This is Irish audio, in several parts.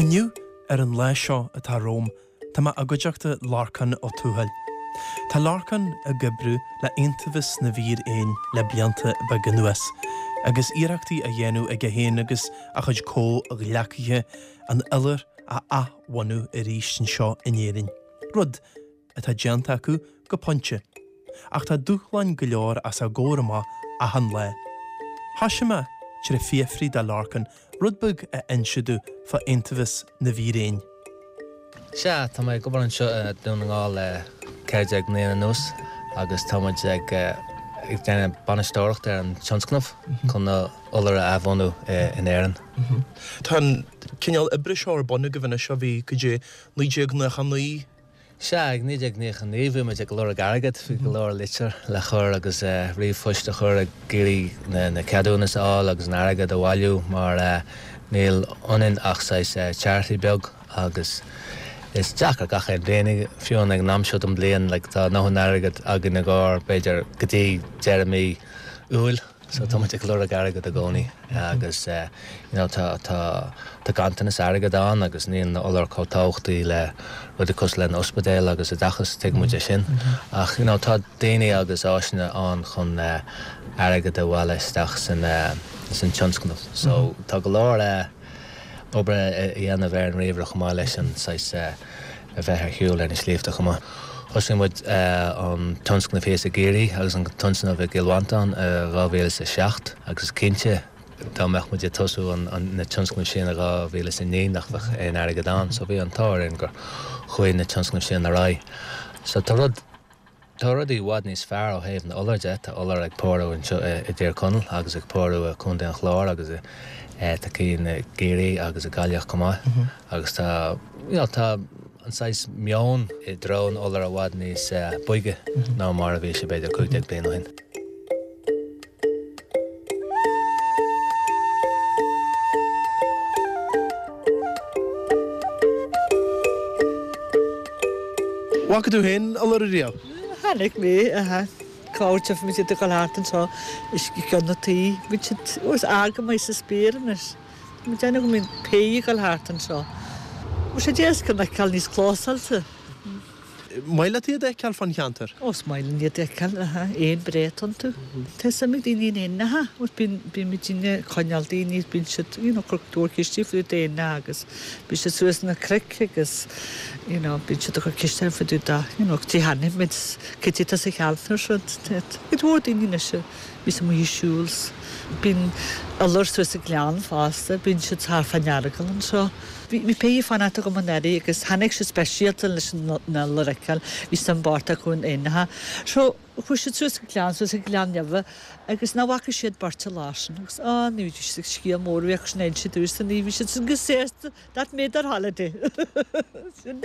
Inniu, ar an lá seo atá romham, tá mé i gcuideachta Lorcán Ó Tuathail. Tá Lorcán ag oibriú le Iontaobhas na bhFíréan le blianta beaga anuas, agus iarrachtaí á dhéanamh aige féin agus a chuid comhghleacaithe an iolar a athbhunú arís anseo in Éirinn, rud atá déanta acu go pointe, ach tá dúshláin go leor os a gcomhair amach achan lá. Thoisigh mé tré fiafraí de Lorcán rud beag a inse domh fá Iontaobhas na bhFíréan. Sea, tá mé ag obair anseo i nDún na nGall le 14 mbliana anuas agus tá muid ag déanamh bainisteoireacht ar an tionscnamh chun na iolair a athbhunú in Éirinn. Tá an cineál oibre seo ar bun agaibh anois ó bhí, cad é, 1999? Sea, ag 1999 bhí muid ag lorg airgead, bhí go leor litir le chur agus ríomhphoist a chur ag iarraidh na ceadúnas a fháil agus an airgead a bhailiú mar níl ionainn ach saghas charity beag agus is deacair gach aon bhliain, fiú ag an am seo den bhliain, like tá a ndóthain airgead againn i gcomhair b'fhéidir go dtí deireadh mí Iúil. So tá muid ag lorg airgead i gcónaí agus you know tá tá tá ganntanas airgead ann agus níl na iolair chomh tábhachtaí le rudaí cosúil le na ospidéil agus oideachas, tuigeann muid é sin. Ach you know tá daoine agus áiseanna ann chun airgead a bhailiú isteach san san tionscnamh. So tá go leor obair a dhéanamh ar an ríomhaire chomh maith leis an saghas a bheith ar shiúl ar na sléibhte chomh maith. Thosaigh muid an tionscnamh thíos i gCiarraí agus an tionscnamh i gCill Mhantáin i 2007 agus cinnte dá mbeadh muid ag tosú na tionscnaimh sin i 2009 nach bheadh aon airgead ann so bhí an t-ádh orainn gur chuaigh na tionscnaimh sin ar aghaidh. So tá rud. Tá rudaí i bhfad níos fearr ó thaobh na iolar de. Tá iolar ag pórú anseo i dTír Chonaill agus ag pórú i Contae an Chláir agus tá cinn i gCiarraí agus i Gaillimh chomh maith. Agus tá, you know, tá an saghas meon i dtreo na iolar i bhfad níos boige ná mar a bhí sé b'fhéidir 15 bliain ó shin. Bhfaca tú féin iolar ariamh? Chonaic mé, aha. Corruair tchífidh muid iad ag dul thart anseo is i gceann na tuí. Bíonn siad, ó is ard go maith sa spéir anois. Tá mé ag déanamh go mbíonn péí ag dul thart anseo. Bhfuil sé deas go bhfeiceáil níos clósáilte. Maith leat iad a fheiceáil fán cheantar? Ó, is maith linn iad a fheiceáil, aha, éin breá atá iontu. Tá suim ag daoine in éinneacha, agus bíonn, bíonn muidinne ag coinneáil daoine, bíonn siad, you know, cur tabhairt ceiste fá dtaobh d'éinneacha agus bíonn siad suas na cnoic agus, you know, bíonn siad ag cur ceiste fá dtaobh de, you know, cad é chonaic muid, cad é atá sa cheantar seo, cuid mhór daoine anois a bhíos amuigh ag siúl, bíonn iolar suas sa ghleann fosta, bíonn siad thart fán Earagail anseo. Bhí péí ag fanacht agam anuraidh agus tháinig siad speisialta leis na iolair a fheiceáil, bhí suim bocht acu in éinneacha. So, chuaigh siad suas an gleann, suas an Gleann Neimhe agus nach bhfaca siad beirt an lá sin agus á ní bhí siad ag scéal mór a bhí acu sin a inse domhsa, ní bhí siad sin go sásta, that made their holiday. Sin.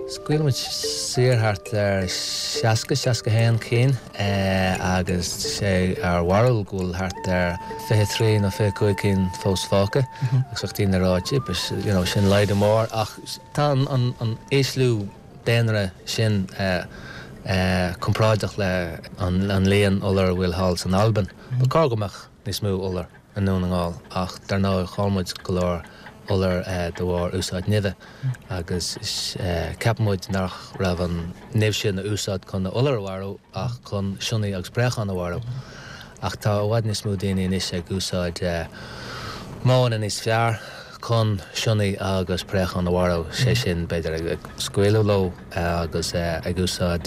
Scaoil muid saor thart ar 60, 61 cinn agus sé ár bharúil go bhfuil thart ar 23 nó 25 cinn fós fágtha agus bheadh daoine ag rá jeepers, you know, sin laghdú mór ach tá an ísliú daonra sin comparáideach le an líon iolar a bhfuil thall san Albain. Ba chóir go mbeadh níos mó iolar i nDún na nGall ach dar ndóigh chaill muid go leor iolar de bharr úsáid nimhe agus ceapann muid nach raibh an nimh sin a úsáid chun na iolair a mharú ach chun sionnaigh agus préacháin a mharú. Ach tá i bhfad níos mó daoine anois ag úsáid modhanna níos fearr chun sionnaigh agus préacháin a mharú, sé sin b'fhéidir ag scaoileadh leo agus ag úsáid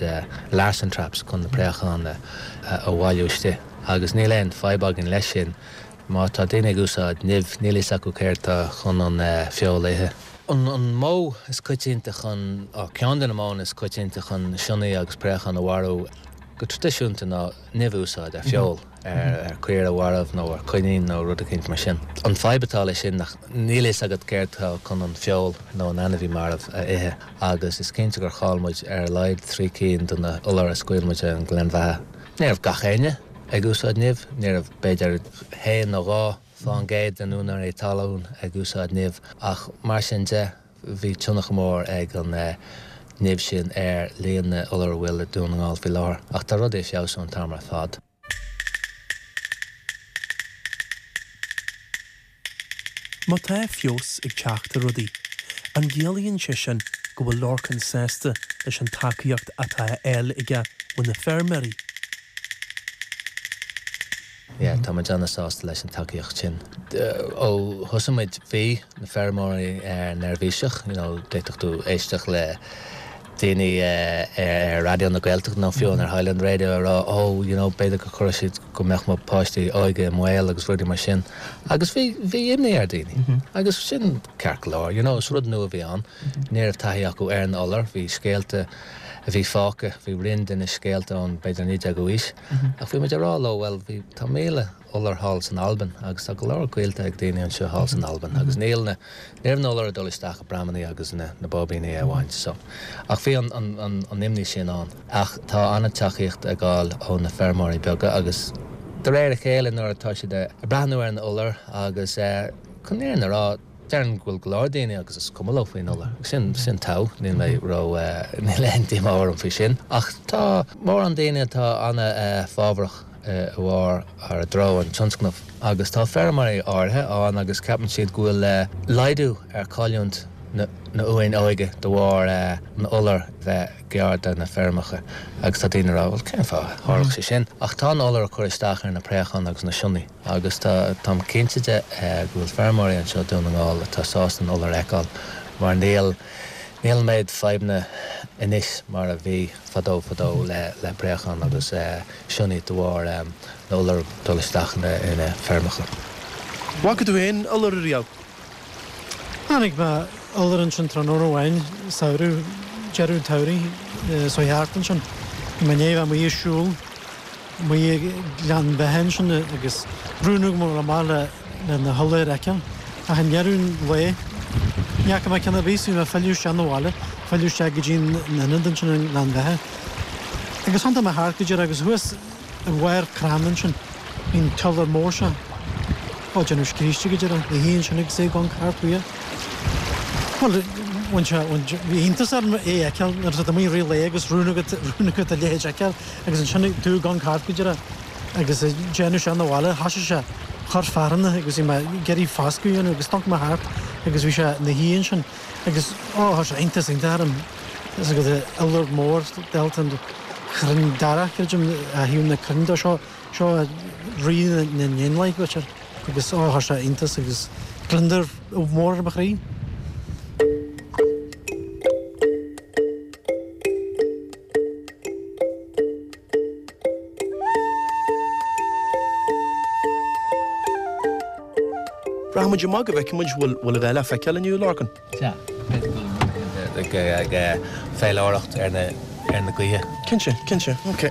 Larsen traps chun na préacháin a bhailiú istigh. Agus níl aon fadhb againn leis sin. Má tá daoine ag úsáid nimh, níl a fhios acu céard tá chun an feoil a ithe. An modh is coitianta chun, ceann de na modhanna is coitianta chun sionnaigh agus préacháin a mharú go traidisiúnta ná nimh a úsáid ar feoil, ar chaora mharbh nó ar choinín nó rud eicínt mar sin. An fadhb atá leis sin nach níl a fhios agat céard tá chun an feoil nó an ainmhí marbh a ithe agus is cinnte gur chaill muid ar a laghad 3 cinn de na iolair a scaoil muid ar an Ghleann Bheatha. Ní raibh gach éinne ag úsáid nimh, ní raibh b'fhéidir haon nó 2% de na úinéirí talún ag úsáid nimh ach mar sin de bhí tionchar mór ag an. nimh sin ar líon na n-iolar a bhfuil i Dún na nGall faoi láthair. Ach tá rudaí ag feabhsú an t-am ar fad. Má tá feabhas ag teacht ar rudaí, an gciallaíonn sé sin go bhfuil Lorcan sásta leis an tacaíocht atá á fháil aige ó na feirmeoirí? Yeah, tá muid ana-sásta leis an tacaíocht sin. Ó thosaigh muid, bhí na feirmeoirí neirbhíseach, you know, d'fhéadfadh tú éisteacht le daoine ar Raidió na Gaeltachta nó fiú ar Highland Radio ag rá oh you know b'fhéidir go gcuirfeadh siad go mbeadh mo pháistí óga i mbaol agus rudaí mar sin agus bhí bhí imní ar daoine agus sin ceart go leor you know is rud nua a bhí ann ní raibh taithí acu ar an iolar bhí scéalta a bhí fágtha bhí roinnt de na scéalta ón b'fhéidir 19ú aois ach bhí muid ag rá leo bhuel bhí tá 1,000 iolar thall san Albain agus tá go leor gaolta ag daoine anseo thall san Albain agus níl na Ní raibh na iolair ag dul isteach i bpramannaí agus na na báibíní a bhaint so. Ach bhí an an an an imní sin ann. Ach tá an-tacaíocht á fháil ó na feirmeoirí beaga agus de réir a chéile nuair atá siad ag breathnú ar an iolar agus eh chun an fhírinne a rá déarfainn go bhfuil go leor daoine agus is cuma leo faoin iolar. Sin sin togha, níl mé ró eh níl aon díomá orm faoi sin. Ach tá mórán daoine atá an-fhábharach i bharr ar i dtreo an tionscnaimh agus tá feirmeoirí áirithe ann agus ceapann siad go bhfuil laghdú ar chailliúint na n-uain óige de bharr an iolar bheith gar do na feirmeacha agus tá daoine ag rá bhuel cén fáth a tharlódh sé sin ach tá an iolar ag cur isteach ar na préacháin agus na sionnaigh agus tá táim cinnte de go bhfuil feirmeoirí anseo i Dún na nGall atá sásta an iolar a fheiceáil mar níl níl an méid fadhbanna anois mar a bhí fadó fadó le préacháin agus sionnaigh de bharr na n-iolar dul isteach ina feirmeacha. Bhfaca tú féin iolar ariamh? Chonaic mé iolar ansin tráthnóna amháin, samhradh, deireadh an tsamhraidh, so thart ansin. Bhí mé i ndiaidh a bheith amuigh ag siúl, amuigh ag Gleann Bheatha ansin agus rún agam a dhul amach le le na hiolair a fheiceáil. Ach i ndeireadh an lae, ní fhaca mé ceann ar bith, so bhí mé ag filleadh isteach 'na bhaile, filleadh isteach go dtí an ionad ansin i nGleann Bheatha. Agus thiontaigh mé thart go díreach agus thuas i bharr crann ansin, bhí an t-iolar mór seo á déanamh scríste go díreach, ina shuí ansin agus é ag amharc thart uaidh. Bhuel, bhain sé, bhain, bhí iontas orm é a fheiceáil nuair atá tú amuigh i rith an lae agus rún agat, rún agat a leithéid a fheiceáil agus ansin tú ag amharc thart go díreach. Agus ag déanamh isteach 'na bhaile, thoisigh sé chur fearthanna agus bhí mé ag iarraidh foscadh a dhéanamh agus d'amharc mé thart agus bhí sé 'na shuí ansin agus ó chuir sé iontas iontach orm is agat iolar mór dálta an chrainn darach creidim a thaobh na crainn dó seo seo rí na n-éanlaith b'fhéidir agus ó chuir sé iontas agus gliondar mór ar mo chroí. Rachaidh muid amach go bhfeicfidh muid bhfuil bhfuil a dhath le feiceáil inniu, Lorcan. Sea, b'fhéidir go bhfuil rud éicint ag faoileoireacht ar na ar na gaoithe. Cinnte, cinnte, ok.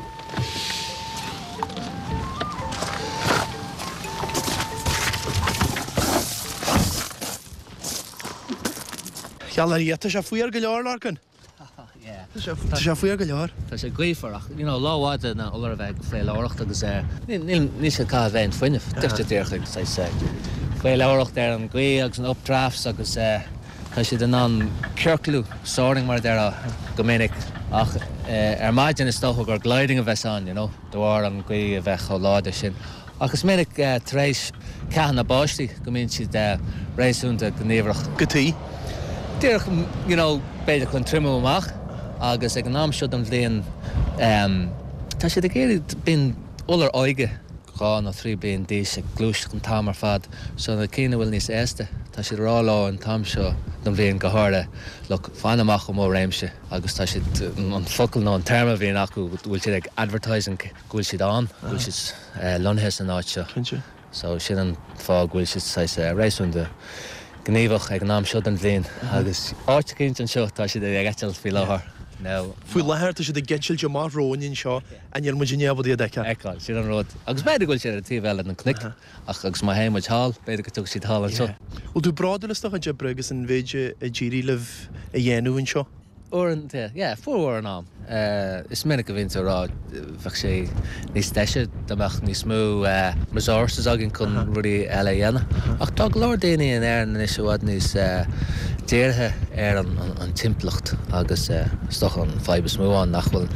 Gheall ar Dhia, tá sé fuar go leor, Lorcan. Tá sé fuar go leor. Tá sé gaofar ach you know lá mhaith do na iolair a bheith ag faoileoireacht agus níl níl siad ag caitheamh aon fuinneamh. Just díreach ag saghas faoileoireacht ar an ghaoth agus an updrafts agus tá siad in ann ciorclú, soaring mar a déarfá go minic ach ar maidin is dócha gur gliding a bheas ann you know de bharr an ghaoth a bheith chomh láidir sin. Ach is minic tar éis ceathanna báistí go mbíonn siad réasúnta gníomhach. Go tí. Díreach, you know, b'fhéidir chun triomú amach agus ag an am seo den bhliain tá siad ag iarraidh, bíonn iolair óga, 2 nó 3 bliain d'aois ag gluaiseacht an t-am ar fad so na cinn a bhfuil níos aosta, tá siad ag rá leo an t-am seo den bhliain go háirithe, look, fan amach ó mo réimse agus tá siad, an focal nó an téarma a bhíonn acu go bhfuil siad ag advertising go bhfuil siad ann, go bhfuil siad. lonnaithe san áit seo. Cinnte. So sin an fáth go bhfuil siad saghas réasúnta gníomhach ag an am seo den bhliain agus áit eicínt anseo tá siad ag eitilt faoi láthair. Now. Faoi láthair tá siad ag eitilt amach romhainn anseo ach níl muid i ndiaidh iad a fheiceáil. Fheiceáil, sin an rud. Agus b'fhéidir go bhfuil siad ar an taobh eile den chnoic ach agus má théann muid thall, b'fhéidir go dtiocfaidh siad thall anseo. Bhfuil tú bródúil as do chuid oibre agus an mhéid a d'éirigh libh a dhéanamh anseo? Uaireanta, yeah, formhór an am. Is minic a bhíonn tú ag rá bheadh sé níos deise dá mbeadh níos mó resources againn chun rudaí eile a dhéanamh. Ach tá go leor daoine in Éirinn anois i bhfad níos. dírithe ar an timpeallacht agus is dócha an fadhb is mó ann nach bhfuil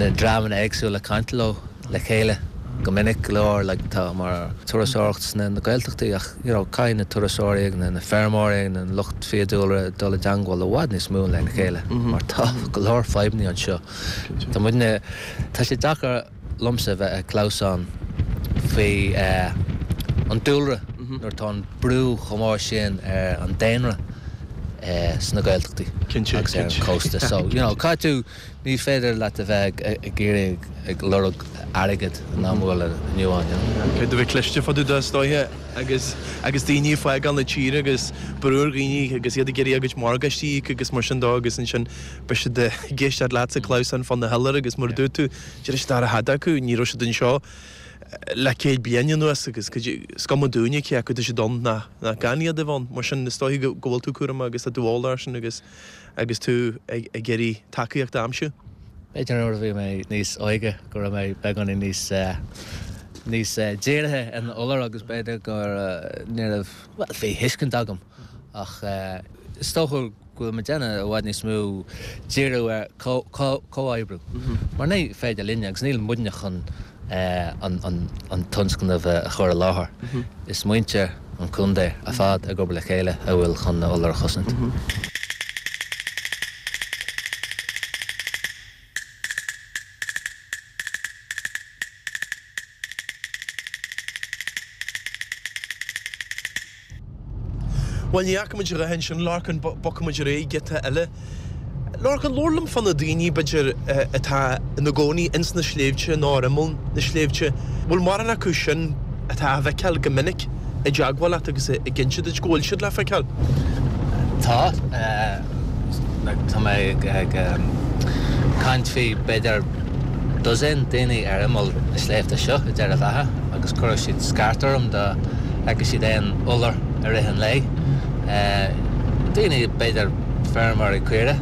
na dreamanna éagsúla ag caint leo le chéile go minic go leor like tá mar turasóireacht sna na Gaeltachtaí ach you know caithfidh na turasóirí agus na feirmeoirí agus na lucht fiadhúlra dul i dteangmháil i bhfad níos mó lena chéile mar tá go leor fadhbanna anseo. Tá muidne tá sé deacair liomsa a bheith ag clamhsán faoi an dúlra nuair atá an brú chomh mór sin ar an daonra sna Gaeltachtaí agus ar an chósta. So, you know, caithfidh tú, ní féidir leat a bheith ag iarraidh ag lorg airgead in am a bhfuil inniu ann, you know. Caithfidh tú bheith cliste fá dtaobh de, is dóiche, agus agus daoine ag fágáil na tíre agus brú ar dhaoine agus iad ag iarraidh a gcuid morgáistí a íoc agus mar sin dó agus ansin beidh siad ag éisteacht leat ag clamhsán fá na hiolair agus mar a dúirt tú, Déarfaidh siad ara thada acu, ní raibh siad anseo le 100 bliain anuas agus is cuma dúinne cé acu tá siad ann ná gan iad a bheith ann. Mar sin is dóiche go bhfuil tú cúramach agus tá tú eolach air sin agus agus tú ag iarraidh tacaíocht a aimsiú. B'fhéidir nuair a bhí mé níos óige go raibh mé beagáinín níos níos dírithe ar na iolair agus b'fhéidir go ní raibh, bhuel bhí thuiscint agam ach is dócha go bhfuil muid ag déanamh i bhfad níos mó díriú ar chomhoibriú mar ní féidir linne agus níl muidne chun an tionscnamh a chur i láthair. Is muintir an chontae ar fad ag obair le chéile a bhfuil chun na iolair a chosaint. Bhuel, ní fhaca muid a dhath ansin, Lorcán, bogfaidh muid ar aghaidh giota eile. Lorcán, labhair liom fá na daoine, b'fhéidir, atá ina gcónaí ins na sléibhte nó ar imeall na sléibhte. Bhfuil mórán acu sin atá á bhfeiceáil go minic i dteagmháil leat agus ag inse duit go bhfuil siad le feiceáil? Tá. Tá mé ag caint faoi b'fhéidir dosaen daoine ar imeall na sléibhte seo i Doire Bheatha agus chuirfeadh siad scairt orm dá bhfeicfeadh siad aon iolar i rith an lae. Daoine, b'fhéidir feirmeoirí caoire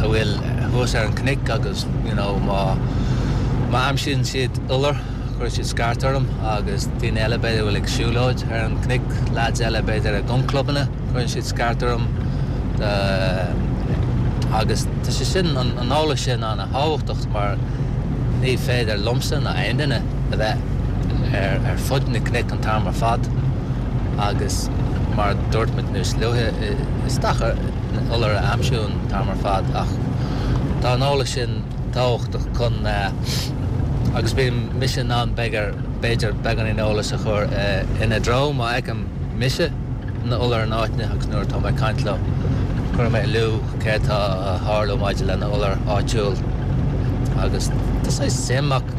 a bhfuil thuas ar an cnoic agus you know má má aimsíonn siad iolar cuirfidh siad scairt orm agus daoine eile b'fhéidir a bhfuil ag siúlóid ar an cnoic, leaids eile b'fhéidir i gclubbanna cuireann siad scairt orm agus tá sé sin, an eolas sin ana-thábhachtach mar ní féidir liomsa ná aon duine a bheith ar fud na cnoic an t-am ar fad agus mar a dúirt muid níos luaithe is deacair na iolair a aimsiú an t-am ar fad ach tá an eolas sin tábhachtach chun agus bíonn mise in ann b'fhéidir beagáinín eolas a chur ina dtreo má fheicim mise na iolair in áiteanna agus nuair atá mé ag caint leo cuireann mé in iúl céard atá a tharlú maidir le na iolair áitiúil agus tá saghas suim ach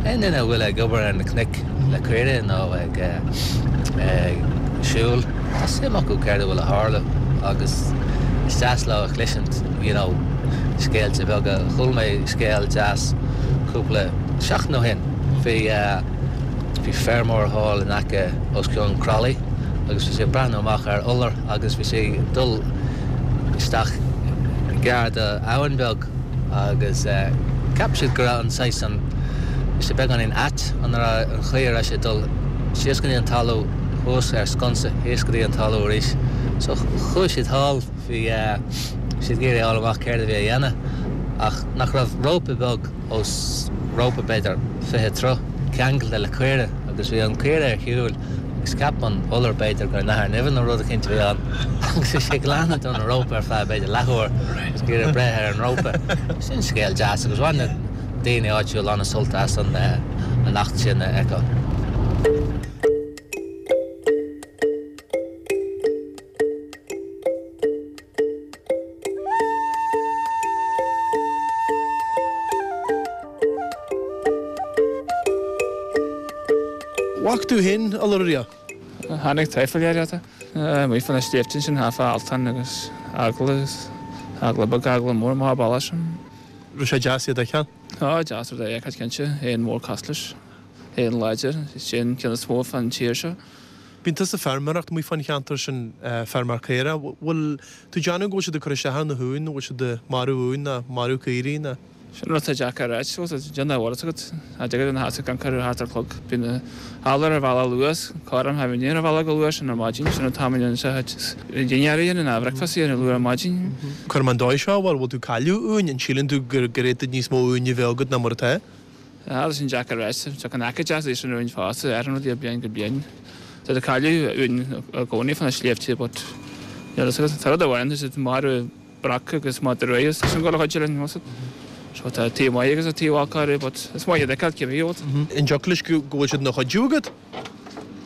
aon duine a bhfuil ag obair ar na cnoic le caoirigh nó ag siúl tá suim acu céard a bhfuil a tharlú agus is deas leo a chloisint you know scéalta beaga. Chuala mé scéal deas cúpla seachtain ó shin faoi bhí feirmeoir thall in aice os cionn Croithlí agus bhí sé ag breathnú amach ar iolar agus bhí sé ag dul isteach gar do abhainn beag agus cheap siad go raibh an saghas an bhí sé beagáinín ait an raibh an chaoi a raibh sé ag dul síos go dtí an talamh thuas ar sconsa thíos go dtí an talamh arís so chuaigh siad thall bhí siad ag iarraidh a fháil amach céard a bhí a dhéanamh ach nach raibh rópa beag os rópa b'fhéidir 20 troigh, ceangailte le caora agus bhí an caora ar shiúil agus cheap an iolar b'fhéidir gur nathair nimhe nó rud eicínt a bhí ann agus bhí sé ag leanúint an rópa ar feadh b'fhéidir leathuair agus ag iarraidh breith ar an rópa. Sin scéal deas agus bhain na daoine áitiúil an-sult as an eachtra sin a fheiceáil. Bhfaca tú féin iolar ariamh? Tháinig taifead air ata. Amuigh fá na sléibhte ansin thart fá Altan agus eagla agus eagla beag eagla mór amach an bealach sin. Raibh sé deas iad a fheiceáil? Á, deas rud é a fheiceáil cinnte, éan mór cosúil leis, éan láidir, is é an ceann is mó fán tír seo. Bíonn tusa ag feirmeoireacht amuigh fán cheantar sin, feirmeoir caorach. Bhfuil tú ag déanamh go bhfuil siad ag cur isteach ar na huain, nó bhfuil siad ag marú uain ná marú caoirigh ná? Sin rud atá deacair a ráit, fós, déan a bhfuil fhios agat. Cha dtig linn a sheasamh gan cur thart ar chlog. Bíonn na hiolair ar bhealach luath, corram tha bhíonn ar bhealach go luath sin ar maidin, sin an t-am a dhéanann sé a chuid dinnéar a dhéanamh ná bhreicfeasta a dhéanamh luath ar maidin. Cuir mé an dóigh seo, bhuel, bhfuil tú ag cailleadh uain? An síleann tú gur fhéadfadh níos mó uain a bheith agat ná mar atá? Tá sin deacair a ráit. Tá an aice deas leis an uain fosta, athraíonn rudaí ó bhliain go bliain. Tá tú ag cailleadh uain i gcónaí fá na sléibhte but níl fhios agat. Tá rud amháin, tá siad ag marú broc agus madra rua agus tá sin ag dul a chuid linn, bhfuil fhios agat. So tá taobh maith agus taobh olc orthu but is maith iad a fheiceáil cibé rud. An dtiocfadh leis go bhfuil siad ina chuidiú agat?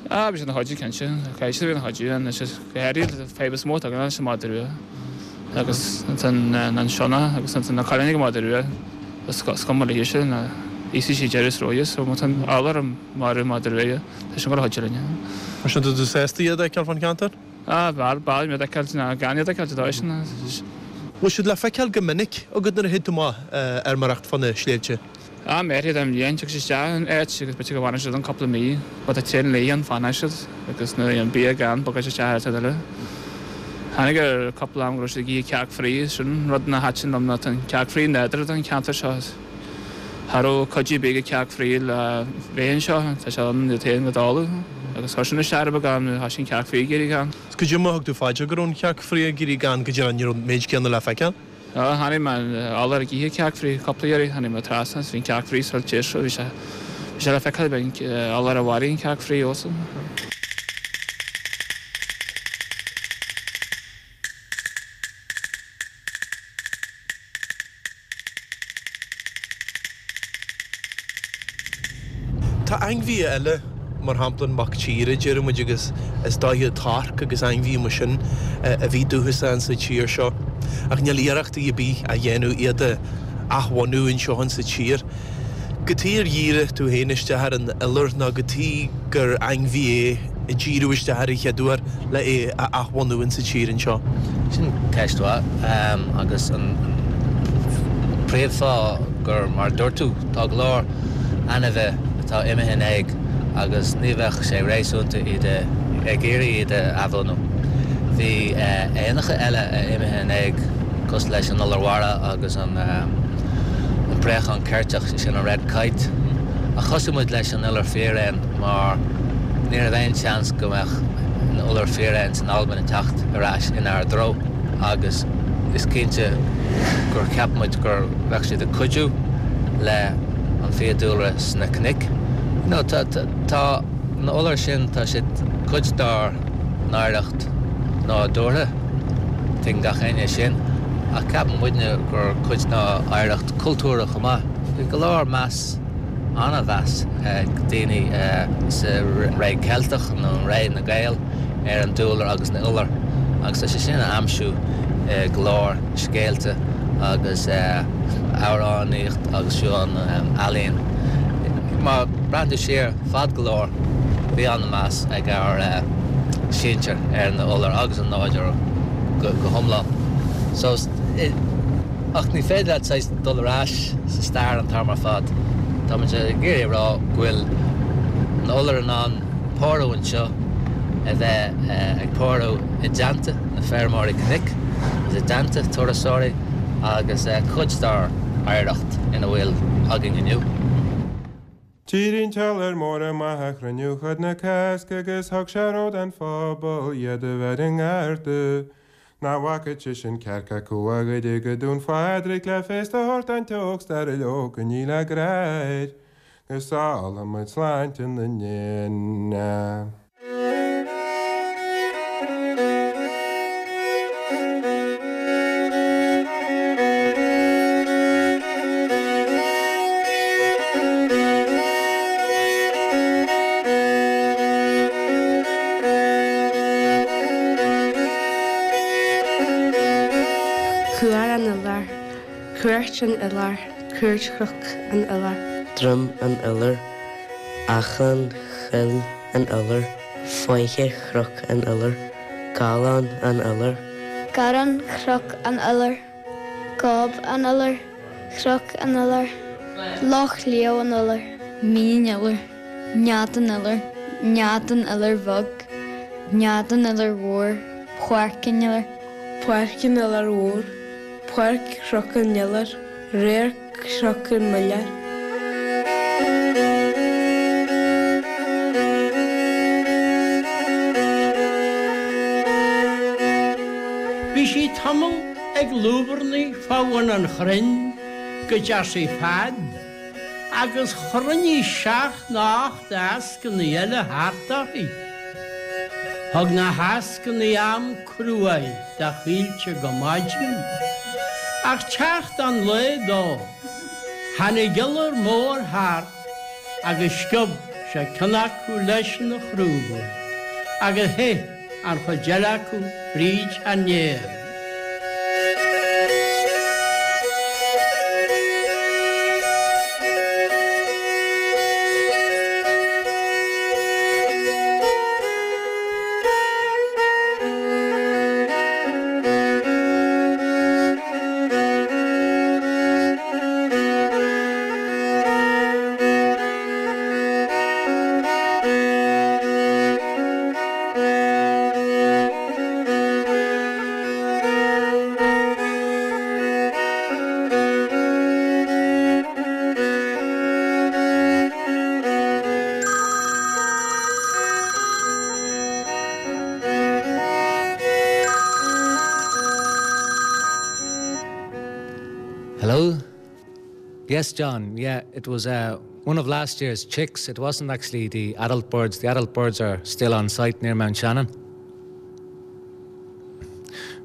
Ah, bhí siad ina chuidiú cinnte. Caithfidh siad a bheith ina chuidiú anois is go háirithe an fadhb is mó atá againn leis an madra rua agus ansan an sionnach agus ansan na coileáin ag an madra rua is cuma léi sin íosfaidh sí deireadh is róighe so má tá an iolar ag marú madra rua tá sin ag dul a chuidiú linn. Mar sin tá tú sásta iad a fheiceáil fán cheantar? Ah, b'fhearr, b'fhearr iad a fheiceáil ná gan iad a fheiceáil, dá sin. Bhfuil siad le feiceáil go minic agat nuair a théid tú amach ag feirmeoireacht fá na sléibhte? Am áirithe den bhliain, tiocfaidh siad isteach in áit agus b'fhéidir go bhfanfaidh siad ann cúpla mí. Má tá tréan léi ann, fanfaidh siad agus nuair a bhíonn bia gann, bogfaidh siad isteach áit eile. Tháinig ar cúpla am go raibh siad ag ithe cearc fraoigh, sin rud nach thaitin liom ná tá an cearc fraoigh nádúrtha don cheantar seo. Cha raibh cuidiú ar bith ag cearc fraoigh le bheith anseo, tá sé ann iad féin go dtólamh agus chuir sin isteach ar beagán nuair a thoisigh an cearc fraoigh ag éirí gann. Is cad é mar a thug tú fá dear go raibh an chearc fraoigh ag éirí gann go dtí ní raibh an méid céanna le feiceáil? Tháinig mé ar iolar ag ithe cearc fraoigh cúpla iarraidh, tháinig mé trasna agus bhí an cearc fraoigh soiltéir so bhí sé bhí sé le feiceáil bhí an iolar a mharaigh an cearc fraoigh fós. Tá ainmhithe eile, mar shampla an mac tíre, deir muid, agus is dóiche torc agus ainmhithe mar sin a bhí dúchasach insa tír seo, ach níl iarrachtaí ar bith á dhéanamh iad a athbhunú anseo insa tír. Cad chuige ar dhírigh tú féin isteach ar an iolar nó cad chuige gur ainmhí é a díriodh isteach air an chéad uair le é a athbhunú insa tír anseo? Sin ceist mhaith agus an príomhfháth gur, mar a dúirt tú, tá go leor ainmhithe atá imithe in éag agus ní bheadh sé réasúnta iad a, ag iarraidh iad a athbhunú. Bhí éanacha eile a imithe in éag cosúil leis an iolar mhara agus an. an préachán ceirteach, sé sin an red kite. Ach thosaigh muid leis an iolar fíréan mar ní raibh aon seans go mbeadh an iolar fíréan san Albain ag teacht ar ais inár dtreo agus is cinnte gur cheap muid gur bheadh siad ag cuidiú le an fiadhúlra sna cnoic. You know, tá, tá na iolair sin, tá siad cuid dár n-oidhreacht nádúrtha, tuigeann gach éinne sin. Ach ceapann muidne gur cuid dá oidhreacht cultúrtha chomh maith. Bhí go leor meas, an-mheas ag daoine sa ré Ceilteach nó ré na Gael ar an dúlra agus na iolair agus tá sé sin a aimsiú i go leor scéalta agus amhránaíocht agus fiú an ealaín. Má breathnaíonn tú siar fad go leor bhí an-mheas ag ár sinsir ar na iolair agus an nádúr go hiomlán. So, ach ní féidir leat saghas dul ar ais sa stair an t-am ar fad. Tá muid ag iarraidh a rá go bhfuil na iolair in ann pórú anseo, a bheith ag pórú i dteannta na feirmeoirí cnoic agus i dteannta turasóirí agus cuid dár oidhreacht ina bhfuil againn inniu. D'éirigh an t-iolar mór amach ag cruinniú chuid na Cásca agus thug sé rabhadh don phobal iad a bheith i ngarda. Nach bhfaca seisean cearc acu á ghoideadh go Dún Phádraig le féasta a thabhairt don t-ógstar leo go ní le grá air go sábhála muid sláinte na n-éan. Cuar an Iolair, Cúirt an Iolair, Cúirt Chnoc an Iolair. Droim an Iolair, Achan Choill an Iolair, Faiche Chnoc an Iolair, Gallán an Iolair. Garrán Chnoc an Iolair, Gob an Iolair, Cnoc an Iolair, Loch Lao an Iolair. Mín an Iolair, Nead an Iolair, Nead an Iolair Bheag, Nead an Iolair Mhóir, Páirc an Iolair. Páirc an Iolair Mhóir, Páirc Chnoc an Iolair. Radharc Chnoc an Iolair. Bhí sí tamall ag lúbarnaigh fá bhun an chrainn go dteachaidh fad agus chruinnigh seacht nó ocht eascannaí eile thart uirthi. Thug na heascannaí am cruaidh do Chaoilte go maidin, ach teacht an lae dó, tháinig iolar mór thart agus sciob sé ceann acu leis ina chrúba agus theith an chuid eile acu fríd an aer. Hello? Yes, John. Yeah, it was uh, one of last year's chicks. It wasn't actually the adult birds. The adult birds are still on site near Mount Shannon.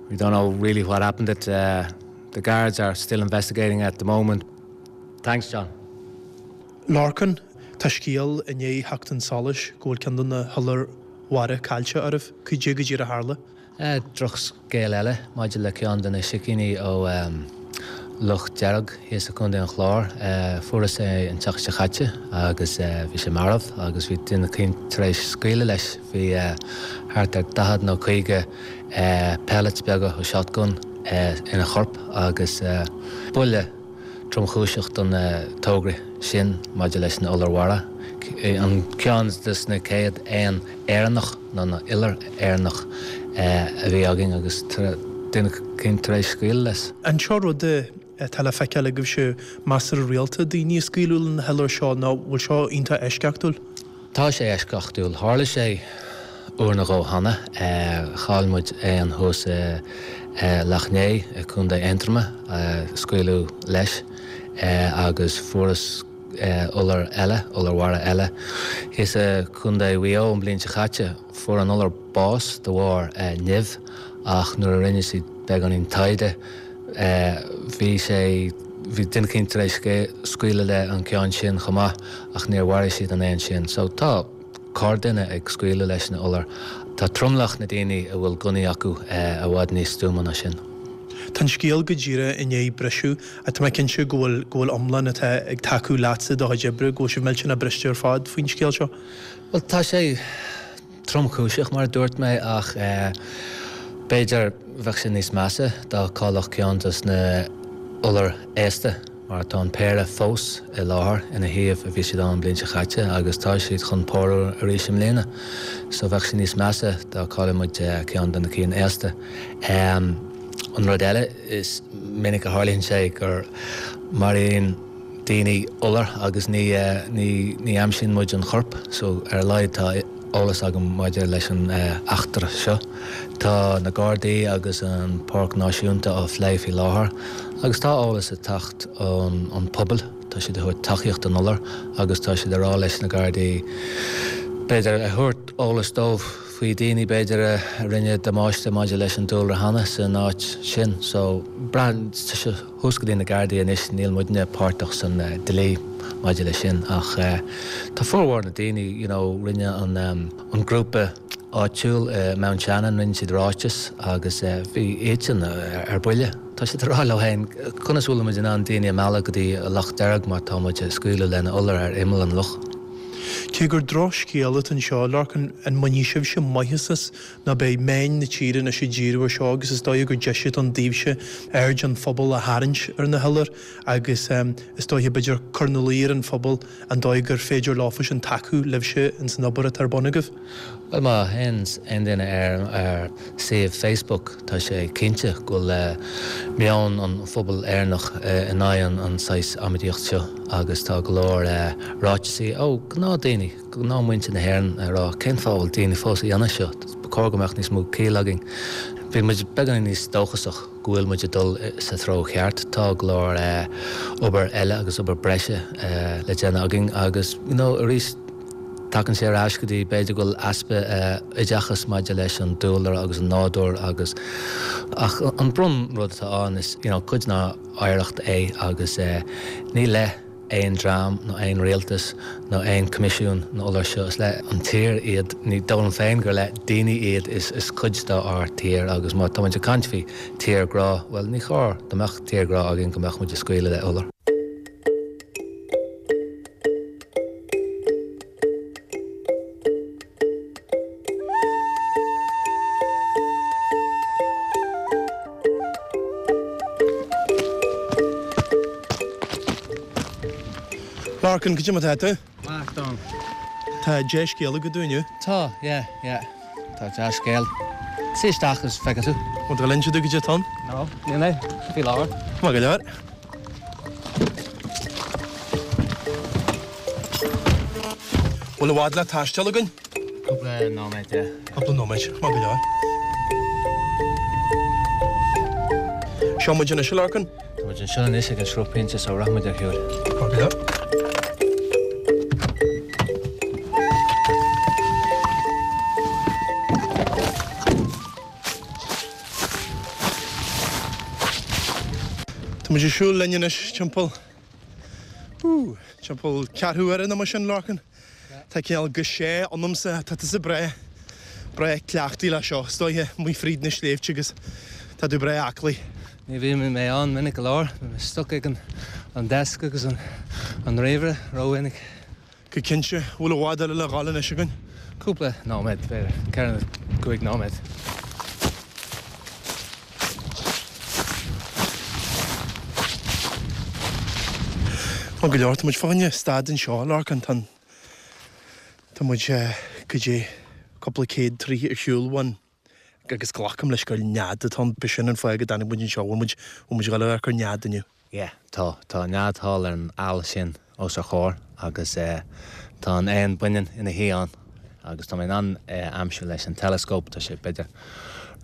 We don't know really what happened. It, uh, the guards are still investigating at the moment. Thanks, John. Lorcan, tá scéal i ndiaidh theacht chun solais go bhfuil ceann de na hiolair mhara caillte oraibh. Cad é go díreach a tharla? Drochscéal eile maidir le ceann de na sicíní ó Loch Dearg thíos i gContae an Chláir. Fuarthas é an tseachtain seo caite agus bhí sé marbh agus bhí duine eicínt tar éis scaoileadh leis. Bhí thart ar 40 nó 50 pellets beaga ó shotgun ina chorp agus buille tromchúiseach don togra sin maidir leis na iolair mhara, an ceann de na chéad éan Éireannach nó na iolar Éireannach a bhí againn agus duine eicínt tar éis scaoileadh leis. An seo rud atá le feiceáil agaibhse measartha rialta, daoine ag scaoileadh le na hiolair seo nó bhfuil seo iontach eisceachtúil? Tá sé eisceachtúil. Tharla sé uair nó dhó cheana. Chaill muid éan thuas i Loch Né i gContae Aontroma, scaoileadh leis agus fuarthas iolar eile, iolar mhara eile, thíos i gContae Mhaigh Eo an bhliain seo caite. Fuair an iolar bás de bharr nimh ach nuair a rinne siad beagáinín taighde, Bhí sé, bhí duine eicínt tar éis scaoileadh le an ceann sin chomh maith ach níor mharaigh siad an éan sin. So tá corrdhuine ag scaoileadh leis na iolair. Tá tromlach na daoine a bhfuil gunnaí acu i bhfad níos stuama ná sin. Tá an scéal go díreach i ndiaidh briseadh ach tá mé cinnte go bhfuil, go bhfuil iomlán atá ag tacú leatsa i do chuid oibre, go bhfuil sibh millteanach briste ar fad faoin scéal seo. Bhuel tá sé. tromchúiseach, mar a dúirt mé, ach b'fhéidir bheadh sé níos measa dá gcaillfeadh ceann dos na iolair aosta, mar tá an péire fós i láthair ina shuíomh a bhí siad ann an bhliain seo chaite agus tá siad chun pórú arís i mbliana. So bheadh sé níos measa dá gcaillfeadh muid ceann de na cinn aosta. An rud eile, is minic a tharlaíonn sé gur maraíonn daoine iolar agus ní ní aimsíonn muid an chorp so ar a laghad tá eolas agam maidir leis an eachtra seo. Tá na Gardaí agus an Páirc Náisiúnta á phlé faoi láthair agus tá eolas ag teacht ón an pobal, tá siad ag thabhairt tacaíocht don iolar agus tá siad ag rá leis na Gardaí b'fhéidir a thabhairt eolas dóibh faoi daoine b'fhéidir a rinne damáiste maidir leis an dúlra cheana san áit sin so braitheann sé Thuas go dtí na Gardaí anois, níl muidne páirteach san dlí maidir leis sin ach tá formhór na daoine, you know, rinne an an grúpa áitiúil i Mount Shannon, rinne siad ráiteas agus bhí iadsan ar buile. Tá siad ag rá leo féin, conas a bhfuil muid in ann daoine a mhealladh go dtí Loch Dearg má tá muid ag scaoileadh le na iolair ar imeall an loch? Cé gur drochscéal atá anseo, Lorcán, an mbainfidh sibhse maitheas as nó beidh meáin na tíre anois ag díriú ar seo agus is dóigh gur deis atá ann daoibhse aird an phobail a tharraingt ar na hiolair agus is dóiche b'fhéidir cur ina luí ar an phobal an dóigh gur féidir leofa sin tacú libhse ins an obair atá ar bun agaibh. Bhuel má théann aon duine ar ár suíomh Facebook tá sé cinnte go bhfuil meon an phobail Éireannach in aghaidh an saghas amaidíocht seo agus tá go leor ráiteasaí ó gnáth daoine, gnáth muintir na hÉireann ag rá cén fáth a bhfuil daoine fós a dhéanamh seo, ba chóir go mbeadh níos mó ciall againn. Bhí muid beagáinín níos dóchasach go bhfuil muid ag dul sa treo cheart. Tá go leor obair eile agus obair breise le déanamh againn agus you know arís tagann sé ar ais go dtí b'fhéidir go bhfuil easpa oideachas maidir leis an dúlra agus an nádúr agus ach an bron rud atá ann is you know cuid dár oidhreacht é agus ní le aon dream nó aon rialtas nó aon coimisiún na iolair seo is le an tír iad ní dóigh liom féin gur le daoine iad is is cuid dár tír agus má tá muid ag caint faoi tírghrá bhuel ní chóir dá mbeadh tírghrá againn go mbeadh muid ag scaoileadh le iolar. Lorcan, cad é mar atá tú? Maith, Don. Tá dea-scéal agat dúinn inniu. Tá, yeah, yeah. Tá dea-scéal. Suigh isteach agus feicfidh tú. Bhfuil tú ag inse domh cad é atá ann? No, níl mé. Faoi láthair. Maith go leor. Bhfuil i bhfad le taisteal againn? Cúpla nóiméad, yeah. Cúpla nóiméad, maith go leor. Seo muid anois, a Lorcan. Tá muid anseo anois ag an sruthphointe so rachaidh muid ar shiúl. Maith go leor. Tá muid ag siúl linn anois timpeall, ooh, timpeall ceathrú uaire nó mar sin, Lorcan. Tá cineál gaise ionamsa, tá tusa breá, breá cleachtaithe le seo, is dóiche, amuigh fríd na sléibhte agus tá tú breá aclaí. Ní bhíonn mé ann minic go leor, bíonn mé stuck ag an desk agus an ríomhaire rómhinic. Go cinnte. Bhfuil i bhfad eile le dhul anois againn? Cúpla nóiméad, b'fhéidir 4 nó 5 nóiméad. Maith go leor, tá muid fá choinne stad anseo, a Lorcáin. Tá an, tá muid goidé cúpla céad troigh ar shiúl uainn agus glacaim leis gur nead atá ann. B'shin an fáth go dtáinig muid anseo, bhfuil muid, bhfuil muid ag dul a amharc ar nead inniu? Yeah, tá. Tá nead thall ar an aill sin os ár chomhair agus eh tá an éan baineann ina shuí ann agus tá mé in ann é a aimsiú leis an teileascóp, tá sé b'fhéidir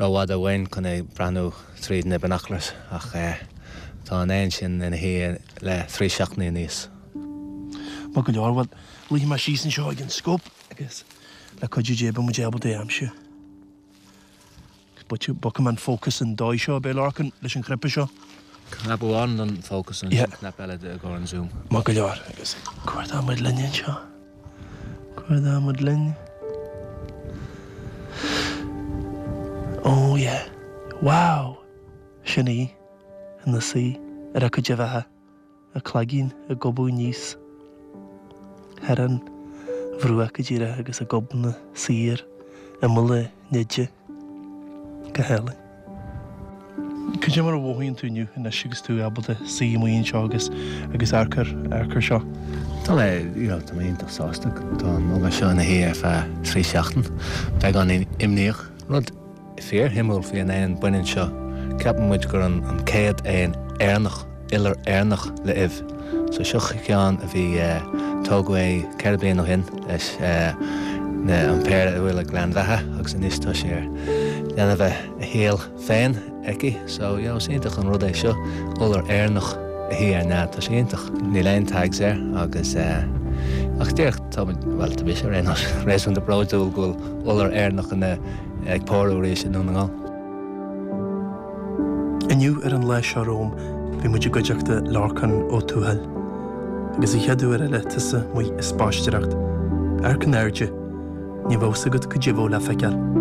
rófhada uainn chun é breathnú tríd na binoculars ach eh tá an éan sin ina shuí le thrí seachtainí aníos. Maith go leor, bhuel, luífidh mé síos anseo ag an scóp agus le cuidiú Dé beidh muid ábalta é a aimsiú. Bogfaidh mé an fócas an dóigh seo, ab é Lorcan, leis an chnaipe seo? Cnaipe amháin don fócas agus an cnaipe eile i gcomhair an zoom. Maith go leor. Agus cuardóidh muid linn anseo. Cuardóidh muid linn. Oh yeah. Wow! Sin í, ina suí ar a cuid uibheacha. A cloigeann ag gobadh aníos thar an bhruach go díreach agus a gobna saor imeall a neide. Go hálainn. Cad é mar a mhothaíonn tú inniu anois agus tú ábalta suí amuigh anseo agus agus amharc ar amharc ar seo? Tá mé, you know, tá mé iontach sásta. Tá an iolar seo ina shuí ar feadh thrí seachtain. Beagán imníoch. Rud Fíorshuimiúil faoi an éan baineann seo, ceapann muid gur an chéad éan Éireannach, iolar Éireannach le ubh. So seo ceann a bhí, tógadh é 4 bliana ó shin leis na, an péire a bhfuil ag Gleann Bheatha agus anois tá sé ar déanamh a shaol féin aici. So, you know, is iontach an rud é seo, iolar Éireannach a shuí ar nead, tá sé iontach. Níl aon tags air agus eh, ach díreach tá muid, bhuel tá mise ar aon nós, réasúnta bródúil go bhfuil iolar Éireannach ina ag pórú arís i nDún na nGall. Inniu ar an lá seo romham bhí muid i gcuideachta Lorcán Ó Tuathail. Agus an chéad uair eile tusa amuigh ag spaisteoireacht, amharc in airde, ní bheadh 's agat cad é a bheadh le feiceáil.